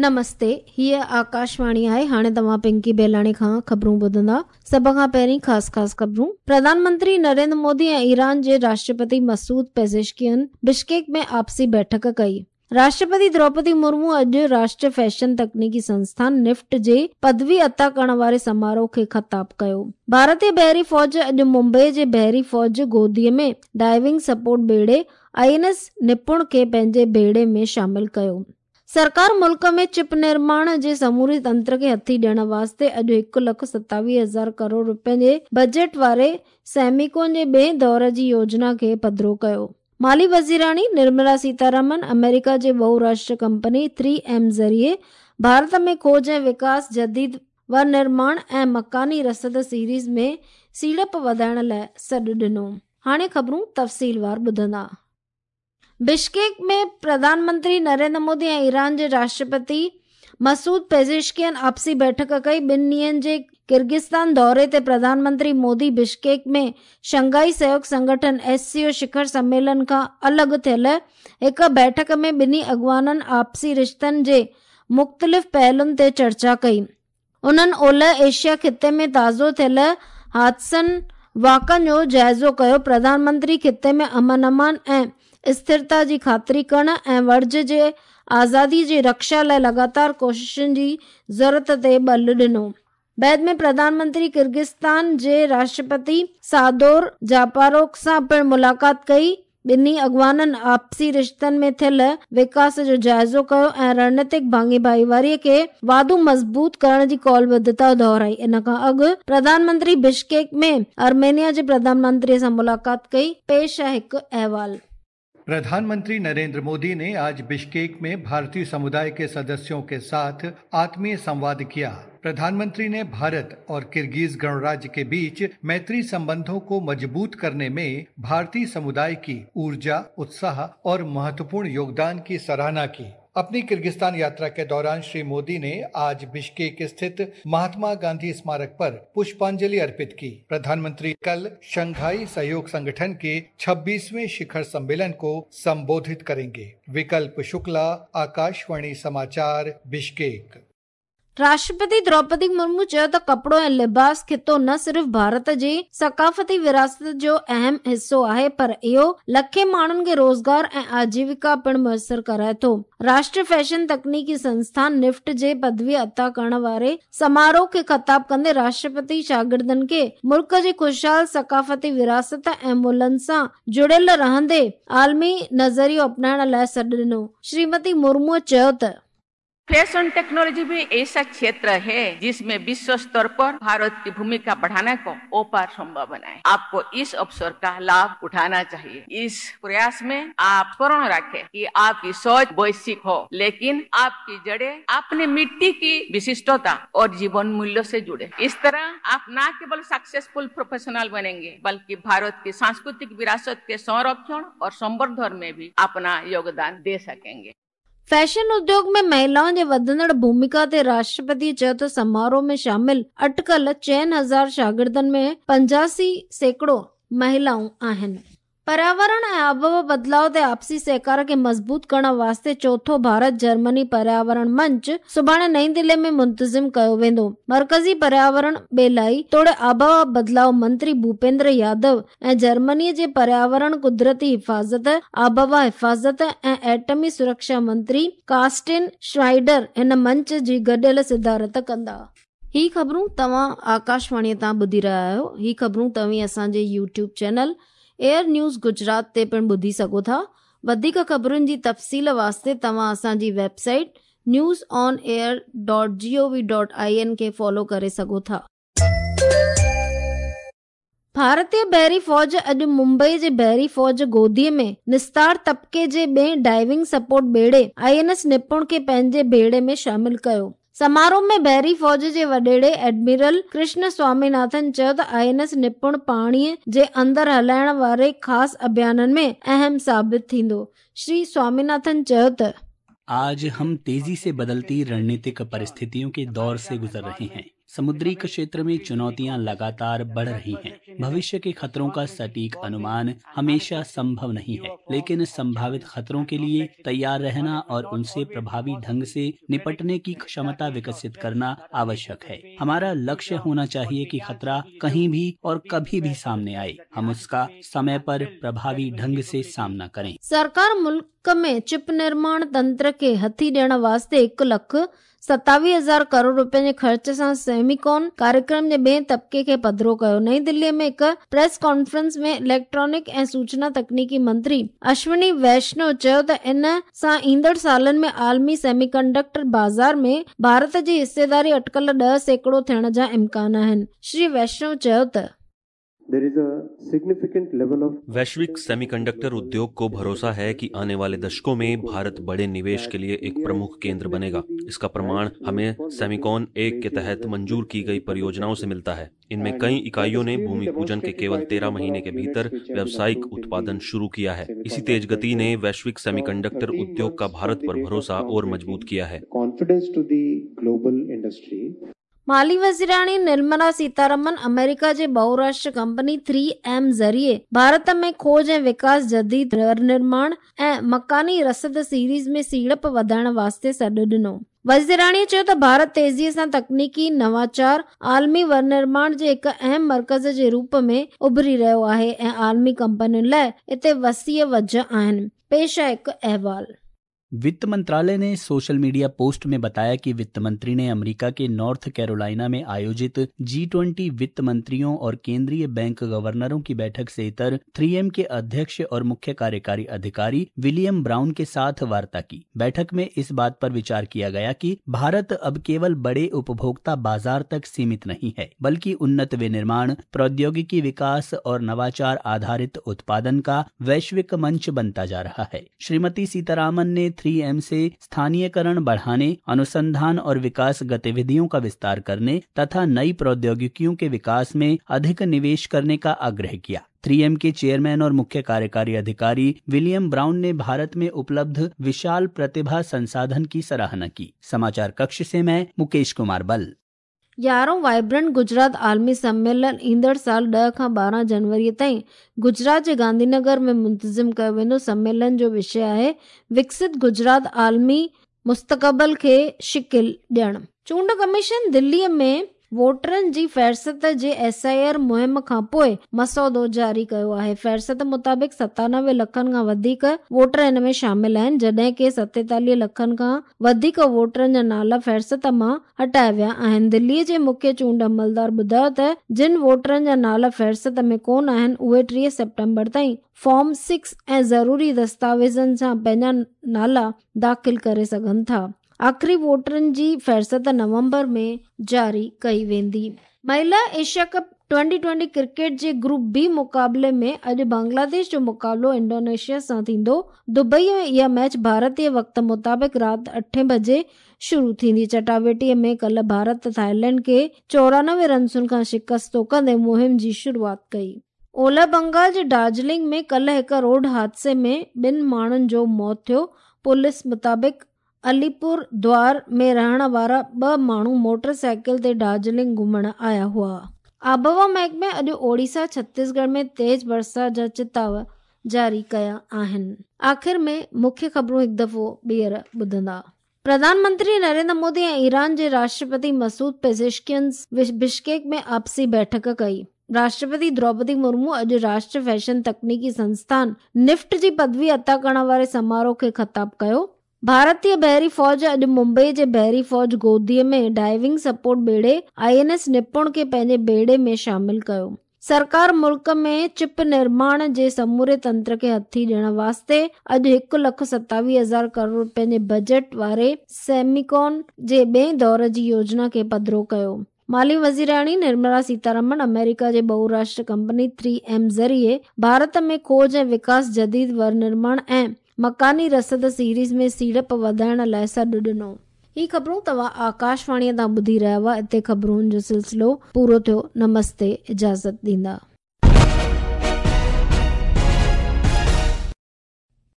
نمستي، هيء آڪاشواڻي آهي، هاڻي توهان پنڪي بيلاڻي کان خبرون ٻڌندا. سڀ کان پهرين خاص خاص خبرون. پرڌان منتري نريندر مودي ۽ ايران جي راشٽرپتي مسعود پيزشڪيان بشڪيڪ ۾ آپسي بيٺڪ ڪئي. راشٽرپتي دروپدي مرمو اڄ راشٽريه فيشن تڪنيڪي سنسٿان نفٽ جي پدوي عطا ڪرڻ واري سماروهه کي خطاب ڪيو. ڀارتي بحري فوج اڄ ممبئي جي بحري فوج گودي ۾ ڊائيونگ سپورٽ ٻيڙي I N S نپڻ کي پنهنجي ٻيڙي ۾ شامل ڪيو. سرڪار ملڪ ۾ چپ نرماڻ جي سموري تنتر کي هٿي ڏيڻ واسطي اڄ هڪ لک ستاويهه هزار ڪروڙ رپين جي بجيٽ واري سيميڪون جي ٻئين دور جي يوجنا کي پڌرو ڪيو. مالي وزيراڻي نرملا سيتارامن آمريڪا جي بهو راشٽر ڪمپني ٿري ايم ذريعي ڀارت ۾ کوج ۽ وڪاس، جديد ونرماڻ ۽ مڪاني رسد سيريز ۾ سيڙپ وڌائڻ لاء سڏ ڏنو. هاڻي خبرون تفصيلوار ٻڌندا. بشڪيڪ ۾ پرڌان منتري نريندر مودي ۽ ايران جي راشٽرپتي مسعود پيزشڪيان آپسي بيٺڪ ڪئي. ٻن ڏينهن جي ڪرغستان دوري تي پرڌان منتري مودي بشڪيڪ ۾ شنگهائي سهيوگ سنگٺن، ايس سي او، شکر سميلن کان الڳ ٿيل هڪ بيٺڪ ۾ ٻنهي اڳواڻن آپسي رشتن جي مختلف پهلن تي چرچا ڪئي. انهن اولهه ايشيا خطي ۾ تازو ٿيل حادثن واقعن جو جائزو ڪيو. پرڌان منتري خطي ۾ امن امان ۽ اسٿرتا جي خاطري ڪرڻ ۽ وڻج جي آزادي جي رڪشا لاء لڳاتار ڪوششن جي ضرورت تي ٻل ڏنو. بعد ۾ پرڌان منتري ڪرغستان جي راشٽرپتي سادور جاپاروف سان پڻ ملاقات ڪئي. ٻنهي اڳواڻن آپسي رشتن ۾ ٿيل وڪاس جو جائزو ڪيو ۽ رڻنيتڪ ڀاڱي ڀائيواري کي واڌو مضبوط ڪرڻ جي قولبڌتا دهرائي. ان کان اڳ پرڌان منتري بشڪيڪ ۾ آرمينيا جي پرڌان منتري سان ملاقات ڪئي. پيش آهي هڪ احوال. प्रधानमंत्री नरेंद्र मोदी ने आज बिश्केक में भारतीय समुदाय के सदस्यों के साथ आत्मीय संवाद किया। प्रधानमंत्री ने भारत और किर्गीज गणराज्य के बीच मैत्री संबंधों को मजबूत करने में भारतीय समुदाय की ऊर्जा, उत्साह और महत्वपूर्ण योगदान की सराहना की। अपनी किर्गिस्तान यात्रा के दौरान श्री मोदी ने आज बिश्केक स्थित महात्मा गांधी स्मारक पर पुष्पांजलि अर्पित की। प्रधानमंत्री कल शंघाई सहयोग संगठन के 26वें शिखर सम्मेलन को संबोधित करेंगे। विकल्प शुक्ला, आकाशवाणी समाचार, बिश्केक। راشٽرپتي دروپدي مرمو چيو ته ڪپڙو ۽ لباس خطو نه صرف ڀارت جي ثقافتي وراثت جو اهم حصو آهي پر اهو لکين ماڻهن کي روزگار ۽ آجيوڪا پڻ ميسر ڪرائي ٿو. راشٽريه فيشن تڪنيڪي سنسٿان نفٽ جي پدوي عطا ڪرڻ واري سماروهه کي خطاب ڪندي راشٽرپتي شاگردن کي ملڪ جي خوشحال ثقافتي وراثت ۽ ملهن سان جڙيل رهندي عالمي نظريو اپنائڻ لاء سڏ ڏنو. شريمتي مرموء چيو ته. फैशन टेक्नोलॉजी भी ऐसा क्षेत्र है जिसमें विश्व स्तर पर भारत की भूमिका बढ़ाने को अपार संभावना है। आपको इस अवसर का लाभ उठाना चाहिए। इस प्रयास में आप स्मरण रखें कि आपकी सोच वैश्विक हो, लेकिन आपकी जड़ें अपने मिट्टी की विशिष्टता और जीवन मूल्यों से जुड़े। इस तरह आप न केवल सक्सेसफुल प्रोफेशनल बनेंगे, बल्कि भारत की सांस्कृतिक विरासत के संरक्षण और संवर्धन में भी अपना योगदान दे सकेंगे। فيشن اديوگ ۾ مهلائن جي وڌندڙ ڀوميڪا تي راشٽرپتي چيو ته سماروهه ۾ شامل اٽڪل 4000 شاگردن ۾ 85% مهلائون آهن. پرياورڻ ۽ آبهوا بدلاء تي آپسي سهڪار کي مضبوط ڪرڻ واسطي چوٿون ڀارت جرمني پرياورڻ منچ سڀاڻي نئين دهلي ۾ منتظم ڪيو ويندو. مرڪزي پرياورڻ، ٻيلائي توڙي آبهوا بدلاء منتري ڀوپيندر يادو ۽ جرمني جي پرياورڻ، قدرتي حفاظت، آبهوا حفاظت ۽ ايٽمي سرڪشا منتري ڪارسٽن شنائيڊر هن منچ جي گڏيل صدارت ڪندا. هي خبرون توهان آڪاشواڻي تان ٻڌي رهيا آهيو. هي خبرون توهين اسان جي YouTube channel AIR news Gujarat تي پڻ ٻڌي سگهو ٿا. وڌيڪ خبرن جي تفصيل واسطي توهان اسان جي website news on air dot G O V dot I N کي فالو ڪري سگهو ٿا. ڀارتي بحري فوج اڄ ممبئي جي بحري فوج گودي ۾ نستار طبقي جي ٻئين ڊائيونگ سپورٽ ٻيڙي I N S نپڻ کي پنهنجي ٻيڙي ۾ شامل ڪيو. سماروهه ۾ بحري فوج جي وڏيري ايڊمرل ڪرشن سوامي ناٿن چيو ته I N S نپڻ پاڻي جي اندر هلائڻ واري خاص اڀيانن ۾ اهم ثابت ٿيندو. شري سوامي ناٿن چيو ته. आज हम तेजी से बदलती रणनीतिक परिस्थितियों के दौर से गुजर रहे हैं। समुद्री क्षेत्र में चुनौतियां लगातार बढ़ रही हैं। भविष्य के खतरों का सटीक अनुमान हमेशा संभव नहीं है, लेकिन संभावित खतरों के लिए तैयार रहना और उनसे प्रभावी ढंग से निपटने की क्षमता विकसित करना आवश्यक है। हमारा लक्ष्य होना चाहिए कि खतरा कहीं भी और कभी भी सामने आए, हम उसका समय पर प्रभावी ढंग से सामना करें। सरकार मुल्क में चिप निर्माण तंत्र खे हथी ॾियण वास्ते 1,27,000 करोड़ रुपयनि जे ख़र्च सां सेमिकॉन कार्यक्रम जे ॿिए तबिके खे पधरो कयो। नई दिल्लीअ में हिकु प्रेस कॉन्फ्रेंस में इलेक्ट्रॉनिक ऐं सूचना तकनीकी मंत्री अश्विनी वैष्णव चयो त इन सां ईंदड़ सालनि में आलमी सेमीकंडक्टर बाज़ार में भारत जी हिस्सेदारी अटकल 10% थियण जा इम्कान आहिनि। श्री वैष्णव चयो त वैश्विक सेमीकंडक्टर उद्योग को भरोसा है कि आने वाले दशकों में भारत बड़े निवेश के लिए एक प्रमुख केंद्र बनेगा। इसका प्रमाण हमें सेमिकॉन 1 के तहत मंजूर की गई परियोजनाओं से मिलता है। इनमें कई इकाइयों ने भूमि पूजन के केवल 13 महीने के भीतर व्यावसायिक उत्पादन शुरू किया है। इसी तेज गति ने वैश्विक सेमीकंडक्टर उद्योग का भारत पर भरोसा और मजबूत किया है। माली वज़ीराणी निर्मला सीतारमन अमेरिका जे बहुराष्ट्र कंपनी 3M ज़रिए भारत में खोज ऐं विकास, जदीद निर्माण ऐं मकानी रसद सीरीज़ में सीड़प वधाइण वास्ते सॾु ॾिनो। वज़ीराणीअ चयो त भारत तेज़ीअ सां तकनीकी नवाचार, आलमी विनिर्माण जे हिकु अहम मर्कज़ जे रूप में उभरी रहियो आहे ऐं आलमी कंपनियुनि लाइ हिते वसीअ वजह आहिनि। पेश आहे हिकु अहवाल। वित्त मंत्रालय ने सोशल मीडिया पोस्ट में बताया कि वित्त मंत्री ने अमेरिका के नॉर्थ कैरोलिना में आयोजित G20 वित्त मंत्रियों और केंद्रीय बैंक गवर्नरों की बैठक से इतर 3M के अध्यक्ष और मुख्य कार्यकारी अधिकारी विलियम ब्राउन के साथ वार्ता की। बैठक में इस बात पर विचार किया गया कि भारत अब केवल बड़े उपभोक्ता बाजार तक सीमित नहीं है, बल्कि उन्नत विनिर्माण, प्रौद्योगिकी विकास और नवाचार आधारित उत्पादन का वैश्विक मंच बनता जा रहा है। श्रीमती सीतारामन ने 3M से स्थानीयकरण बढ़ाने, अनुसंधान और विकास गतिविधियों का विस्तार करने तथा नई प्रौद्योगिकियों के विकास में अधिक निवेश करने का आग्रह किया। 3M के चेयरमैन और मुख्य कार्यकारी अधिकारी विलियम ब्राउन ने भारत में उपलब्ध विशाल प्रतिभा संसाधन की सराहना की। समाचार कक्ष से मैं मुकेश कुमार बल। 11 वाइब्रेंट गुजरात आलमी सम्मेलन ईंदड़ साल 10 खां 12 जनवरीअ ताईं गुजरात जे गांधीनगर में मुंतज़िम कयो वेंदो। सम्मेलन जो विषय आहे विकसित गुजरात आलमी मुस्तक़बिल खे शिकिल ॾियण। चूंड कमीशन दिल्लीअ में वोटरनि जी फहरिस्त जे SIR मुहिम खां पोइ मसौदो जारी कयो आहे। फहरिस्त मुताबिक़ 97 लखनि खां वधीक वोटर हिन में शामिल आहिनि, जॾहिं की 47 लखनि खां वधीक वोटरनि जा नाला फहरिस्त मां हटाया विया आहिनि। दिल्लीअ जे मुख्य चूंड अमलदार ॿुधायो त जिन वोटरनि जा नाला फहरिस्त में कोन आहिनि, उहे 30 सेप्टेम्बर ताईं फॉर्म 6 ऐं ज़रूरी दस्तावेज़नि सां पंहिंजा नाला दाख़िल करे सघनि था। आख़िरी वोटरनि जी फहरिस्त नवंबर में जारी कई वेंदी। महिला एशिया कप 2020 क्रिकेट जे ग्रुप बी मुक़ाबले में अॼु बांग्लादेश जो मुक़ाबिलो इंडोनेशिया सां थींदो। दुबई में इहा मैच भारतीय वक़्त मुताबिक़ राति 8 बजे शुरू थींदी। चटावेटीअ में कल्ह भारत थाईलैंड खे 94 रनसुनि खां शिकस्तो कंदे मुहिम जी शुरूआत कई। ओलह बंगाल जे दार्जिलिंग में कल्ह हिकु रोड हादसे में 2 माण्हुनि जो मौत थियो। पुलिस मुताबिक़ अलीपुर द्वार में रहण वारा 2 माण्हू मोटरसाइकिल ते दार्जिलिंग घुमण आया हुआ। आबहवा महकमे अॼु ओडिशा, छत्तीसगढ़ में तेज़ बरसाति जा चिताव जारी कया आहिनि। आख़िर में मुख्य ख़बरूं हिकु दफ़ो ॿीहर ॿुधंदा। प्रधानमंत्री नरेंद्र मोदी ऐं ईरान जे राष्ट्रपति मसूद पेज़ेश्कियन बिश्केक में आपसी बैठक कई। राष्ट्रपति द्रौपदी मुर्मू अॼु राष्ट्रीय फैशन तकनीकी संस्थान निफ्ट जी पदवी अता करण वारे समारोह खे ख़िताब कयो। भारतीय बहरी फ़ौज अॼु मुंबई जे बहरी फ़ौज गोदीअ में डाइविंग सपोर्ट ॿेड़े INS निपुण खे पंहिंजे ॿेड़े में शामिल कयो। सरकार मुल्क में चिप निर्माण जे समूरे तंत्र खे हथी ॾियण वास्ते अॼु 1,27,000 करोड़ रुपयनि जे बजट वारे सेमिकॉन जे ॿिए दौर जी योजना खे पधरो कयो। माली वज़ीराणी निर्मला सीतारमण अमेरिका जे बहुराष्ट्र कंपनी 3M ज़रिए भारत में खोज ऐं विकास, जदीद विनिर्माण ऐं मकानी रसद सीरीज़ में सीड़प वधाइण लाइ सॾु ॾिनो। ही ख़बरूं तव्हां आकाशवाणीअ तां ॿुधी रहिया हुआ। हिते ख़बरुनि जो सिलसिलो पूरो थियो। नमस्ते, इजाज़त ॾींदा।